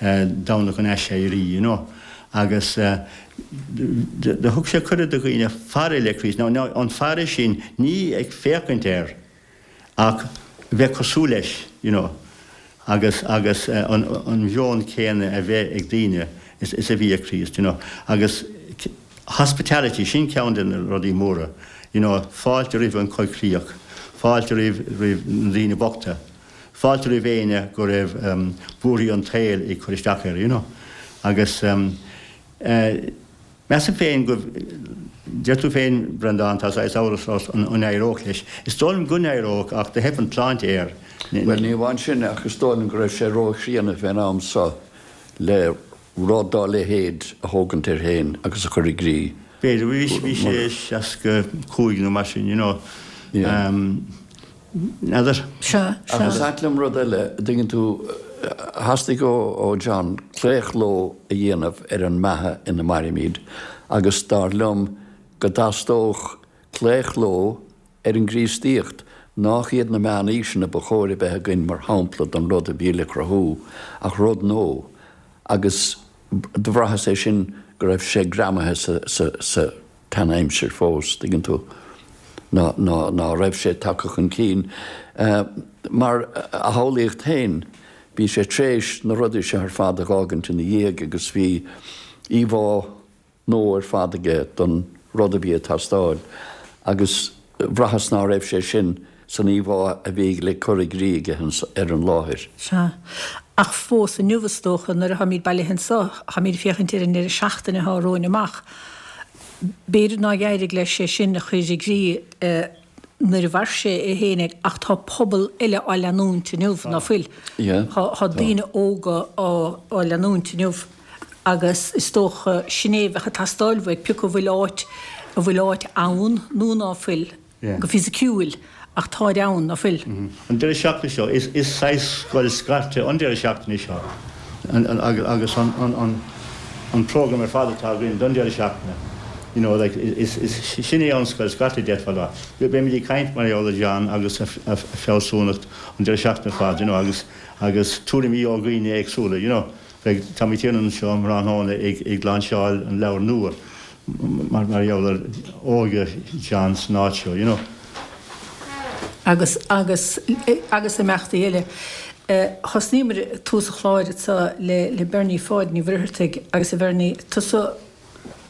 Domhnach an Aiséirí, you know. Agus do thug sé cuireadh do dhaoine faire le Críost. Now, an faire sin, ní ag féachaint air, ach bheith cosúil leis, you know, agus, agus an mheon céanna a bheith ag daoine is a bhí ag Críost, you know. Agus hospitality, sin ceann de na rudaí móra, you know, fáilte roimh an choigcríoch, fáilte roimh, roimh na daoine bochta. Fáilte roimh éinne go raibh buarthaí an tsaoil ag cur isteach air, you know. Agus measaim féin go, deir tú féin, Breandán, tá saghas amhras ort an n-éireodh leis. Is dóigh liom go n-éireodh ach do theip an tsláinte air. Bhuel, ní amháin sin ach is dóigh liom go raibh sé ró-chríonna fén am so le rud dá leithéid a thógaint air féin agus a chur i gcrích. B'fhéidir, bhí sé 65 nó mar sin, you know. N'fheadar. Sea, sea. Ach is ait liom rud eile, an dtuigeann tú, theastaigh ó John claochló a dhéanamh ar an mbeatha ina mairimid agus dar liom go dteastódh claochló ar an gCríostaíocht, nách iad na meánaoiseanna ba chóir a bheith againn mar shampla don rud a bhí le cruthú, ach rud nua. Agus do bhraitheas é sin go raibh sé greamaithe sa, sa, sa. tseanaimsir fós, tuigeann tú, ná, ná, ná raibh sé tagtha chun cinn. Mar a shamhlaíocht féin, bhí sé tréis na rudaí seo ar fad a dh'fhágaint ina dhiaidh agus bhí íomhá nua ar fad aige don rud a bhí ag teastáil agus bhraitheas ná raibh sé sin san íomhá a bhí le cur i gcrích aige ar an láthair. Sea. Ach fós inniu, is dócha, nuair atáimid bailithe anso, táimid ag féachaint ar an ndeireadh seachtaine atá romhainn amach. B'fhéidir nár éirigh leis é sin a chur i gcrích nuair a mhair sé é féin ach tá pobal eile á leanúint inniu, ná fuil? Tá daoine óga á leanúint inniu agus is dócha sin é a bheadh ag teastáil uaidh, pé acu an bhfuil áit, an bhfuil áit ann nó ná fuil. go fisiciúil, ach táid ann, ná fuil? An deireadh seachtaine seo, is saghas scoil scairte an deireadh seachtaine seo agus an program ar fad atá againn don deireadh seachtaine, you know, like, is sin é an scoil scairte, d'fhéadfá a rá. Beimid ag caint mar gheall ar John agus a fealsúnacht an deireadh seachtaine ar fad, you know, agus agus tuairimí ó dhaoine éagsúla, you know. Beidh Tommy Tiernan anseo um thráthnóna ag lainseáil an leabhar nua. mar gheall ar óige John san áit seo, you know. Agus, agus, agus imeachtaí eile. Thosnaíomar tús an chláir anseo le, le Bernie Pháid Ní Mhuircheartaigh agus a Bhernie, tusa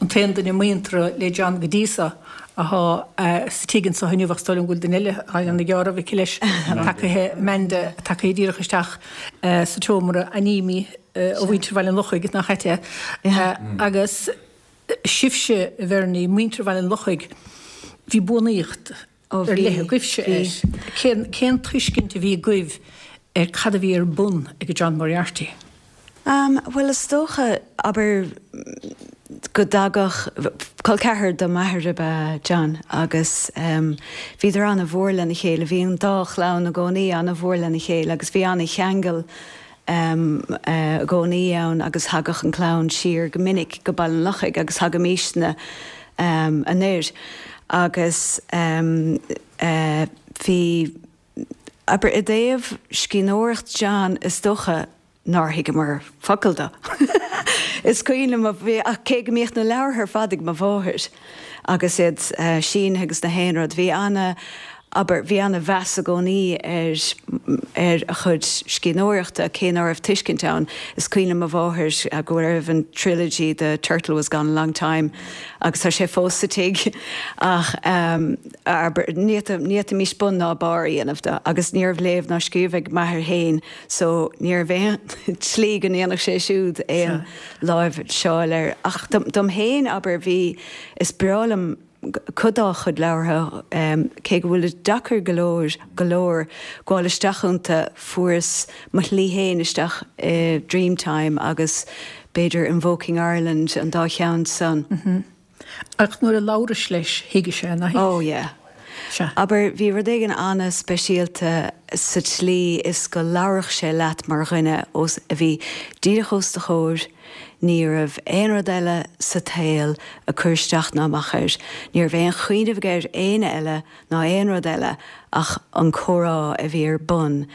an t-aon duine muinteartha le John go dtí seo athá sa tigh anseo inniu ach is dóigh liom go bhfuil duine eile atá ag déanamh geábh aici leis, tagaithe Amanda, tagaithe díreach isteach sa tseomra Anímí ó mhuintir Bhaile an Lochaigh, nach ait é? Agus sibhse, a Bhernie, muintir Bhaile an Lochaigh, bhí buannaíocht ar leith agaibhse air. Cén, cén tuiscint a bhí agaibh ar cad a bhí ar bun ag John Moriarty? Bhuel, is dócha, abair, go dtagadh, col ceathar do m'athair ab ea John agus bhíodar ana-mhór lena chéile, bhí an dá chlann i gcónaí ana-mhór lena chéile agus bhí ana-cheangal i gcónaí ann agus thagadh an clann siar go minic go Baile an Lochaigh agus thagaimisne anoir agus bhí, abair, i dtaobh scríbhneoireacht John is dócha nár thuigeamar focal de. Is cuimhin liom, bhí, ach cé go mbíodh na leabhartha ar fad ag mo mháthair agus iad sínithe agus na haon rud, bhí ana, abair, bhí ana mheas i gcónaí ar, ar a chuid scríbhneoireachta, cé ná raibh tuiscint ann. Is cuimhin liom mo mháthair go raibh an trilogy The Turtle Was Gone a Long Time agus tá sé fós sa tigh ach abair, ní fhéadfaimis bun ná barr a dhéanamh de agus ní raibh léamh ná scríobh ag m'athair féin So, ní raibh aon tslí go ndéanfadh sé siúd aon láimhseáil air. Ach dom féin, abair, bhí, is breá liom cuid dá chuid leabhartha, cé go bhfuilid deacair go leor, go leor gabháil isteach iontu, fuaireas mo shlí féin isteach i Dreamtime agus b'fhéidir Invoking Ireland, an dá cheann san. Ach nuair a labhrais leis, thuigeadh sé, nach thuig? Oh yeah. Sea. Abair, bhí rud éigin an-speisialta sa tslí is go labharfadh sé leat mar dhuine os, a bhí díreach os do chomhair, ní raibh aon rud eile sa tsaol ag cur isteach ná amach air, ní raibh aon chuimhneamh aige ar éinne eile ná aon rud eile ach an comhrá a bhí ar bun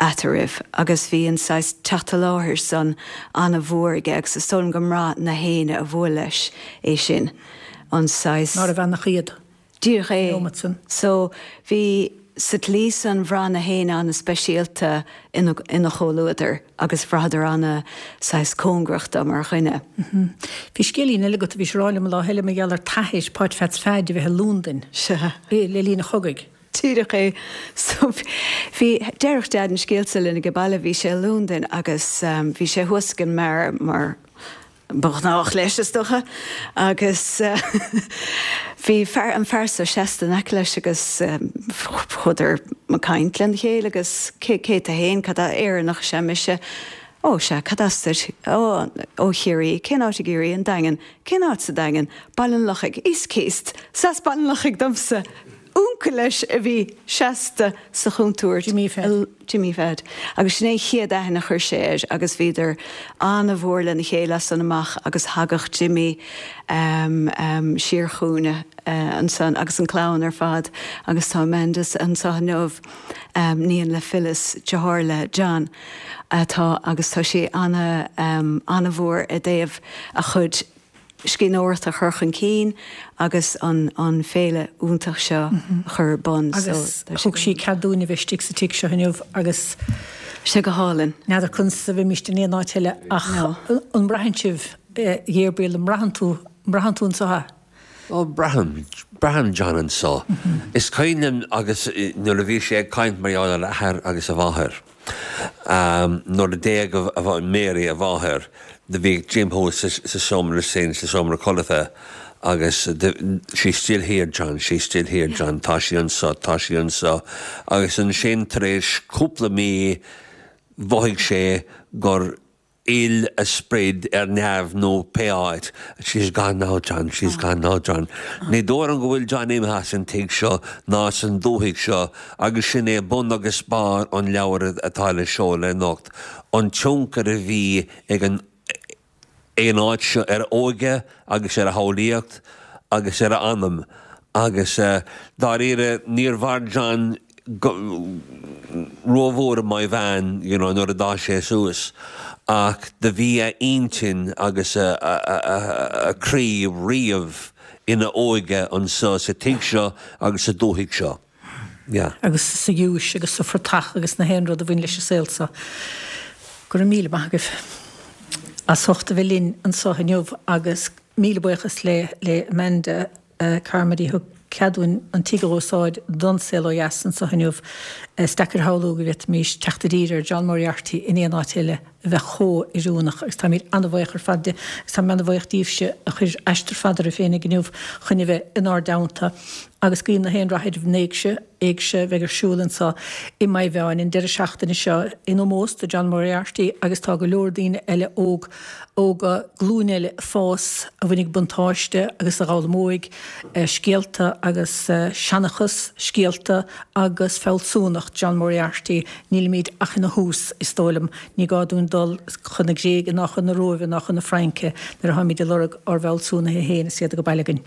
eatarthu agus bhí an saghas teacht i láthair san ana-mhór aige agus is dóigh liom go mbraith na héinne a bhuail leis é sin, an saghas. Nárbh ann ach iad. Díreach é. An nóiméad san. So, bhí, sa tslí san, bhraith na héinne ana-speisialta ina, ina chomhluadar agus bhraitheadar ana saghas cóngarach do mar dhuine. Bhí scéilín eile agat a bhís a rá liom an lá eile mar gheall ar t'athair, Páid Pheats Pheaid, a bheith i Lúndain. Sea. Le linn an chogaidh. Díreach é. So, bhí, deireadh Deaid an scéal seo linn age baile, bhí sé i Lúndain agus bhí sé thuas ag an mbeár mar ba ghnách leis, is dócha, agus bhí fear, an fear seo seasta in aice leis agus chuadar ag caint lena chéile agus cé, cé tú fhéin, cad as, Éireannach is ea mise, ó sea, cad as duit, ó, ó Chiarraí, cén áit i gCiarraí, an Daingean, cén áit sa Daingean, Baile an Lochaigh, East Císt, 's as Baile an Lochaigh domsa. Uncail leis a bhí seasta sa chontúirt. Jimí Pheaid. Jimí Pheaid. Agus sin é an chéad aithne a chuir sé air agus bhíodar ana-mhór lena chéile as san amach agus thagadh Jimí siar chugainne ansan agus an clann ar fad agus tá Amanda anseo inniu, níon le Phyllis, deartháir le John atá agus tá sí ana, ana-mhór i dtaobh a chuid scríbhneoireacht a chur chun cinn agus an an féile iontach seo a chur ar bun. Agus thug sí cead dúinn a bheith istigh sa tigh seo inniu agus. Sé go hálainn. N'fheadar conas a bheimíst in aon áit eile ach an mbraitheann sibh, a Ghabriel, an mbraitheann tú, an mbraitheann tú anseo é? Ó, braithim, braithim John anseo. Is cuimhin liom agus nuair a bhí sé ag caint mar gheall ar a athair agus a mháthair. Nuair a d'éag a Mary, a mháthair, do bhí Jim thuas sa seomra sin, sa seomra codlata agus she's still here John, she's still here John, tá sí anseo, tá sí anseo. Agus ansin tar éis cúpla mí mhothaigh sé gur fhill a sprid ar neamh nó pé áit, she's gone now John, she's gone now John. Ní dóigh liom go bhfuil John imithe as an tigh seo ná as an dúthaigh seo agus sin é bun agus barr an leabhair atá le seoladh anocht, an tionchar a bhí ag an ag an áit seo ar a óige agus ar a shamhlaíocht agus ar a anam agus dáiríre níor mhair John go rómhór i Maigh Mheáin you know nuair a d'fhás sé suas ach do bhí a intinn agus a a chroí riamh ina óige anso sa tigh seo agus sa dúthaigh seo. Yeah. agus sa ghiúis agus sa phortach agus na haon rud a bhain leis an saol seo. Go raibh míle maith agaibh as ucht a bheith linn anso inniu agus míle buíochas le le Amanda Carmody a thug cead dúinn an tigh a dh'úsáid don Saol Ó Dheas anso inniu. Is deacair a shamhlú go bhféadfaimís teacht i dtír ar John Moriarty in aon áit eile. a bheith chomh oiriúnach agus táimid an-bhuíoch ar fad de agus táim an-bhuíoch díbhse a chuir aistear fada oraibh féinig inniu chun a bheith inár dteannta agus guím na haon rath ar an éigse, éigse a bheidh ar siúl anseo i Maigh Mheáin an deireadh seachtaine seo in ómós do John Moriarty agus tá go leor daoine eile óg, óga, glúin eile ag fás a bhainfidh buntáiste agus a dh'fhoghlaimeoidh scéalta agus seanchas, scéalta agus fealsúnacht John Moriarty. Nílimid ach ina thús, is dóigh liom. Ní gá dúinn dul chun na Gréige ná chun na Róimhe ná chun na Fraince nuair atáimid ag lorg ár bhfealsúnaithe féin is iad age baile againn.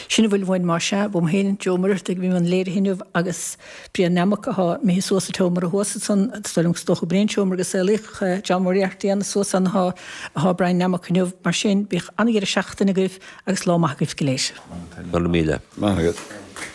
Sin a bhfuil uainn más ea. Uaim féin, Joe Ó Muircheartaigh, a bhí i mbun léirithe inniu agus Brian Nammock atá imithe suas sa tseomra thuas ansan. Is dóigh liom is dócha gurb é an seomra go saolaíodh John Moriarty ann suas ann atá atá Brian Nammock inniu. Mar sin, bíodh an-dheireadh seachtaine agaibh agus lá maith agaibh go léir. Go raibh míle. Maith agat.